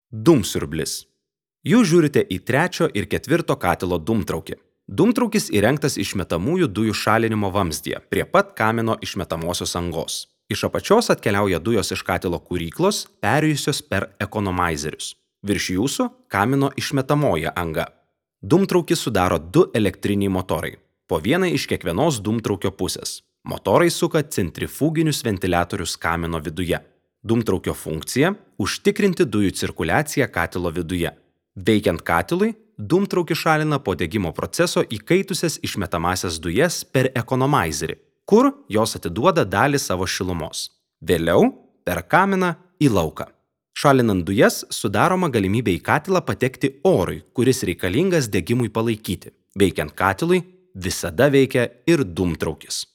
Dūmsiurblis. Jūs žiūrite į 3 ir 4 katilo dūmtraukį. Dūmtraukis įrengtas išmetamųjų dujų šalinimo vamzdyje, prie pat kamino išmetamosios angos. Iš apačios atkeliauja dujos iš katilo kuryklos, perėjusios per ekonomaizerius. Virš jūsų kamino išmetamoji anga. Dūmtraukį sudaro 2 elektriniai motorai, po vieną iš kiekvienos dūmtraukio pusės. Motorai suka centrifuginius ventiliatorius kamino viduje. Dūmtraukio funkcija – užtikrinti dujų cirkuliaciją katilo viduje. Veikiant katilui, dūmtraukis šalina po degimo proceso įkaitusias išmetamasias dujas per ekonomaizerį, kur jos atiduoda dalį savo šilumos. Vėliau per kaminą į lauką. Šalinant dujas sudaroma galimybė į katilą patekti orui, kuris reikalingas degimui palaikyti. Veikiant katilui visada veikia ir dūmtraukis.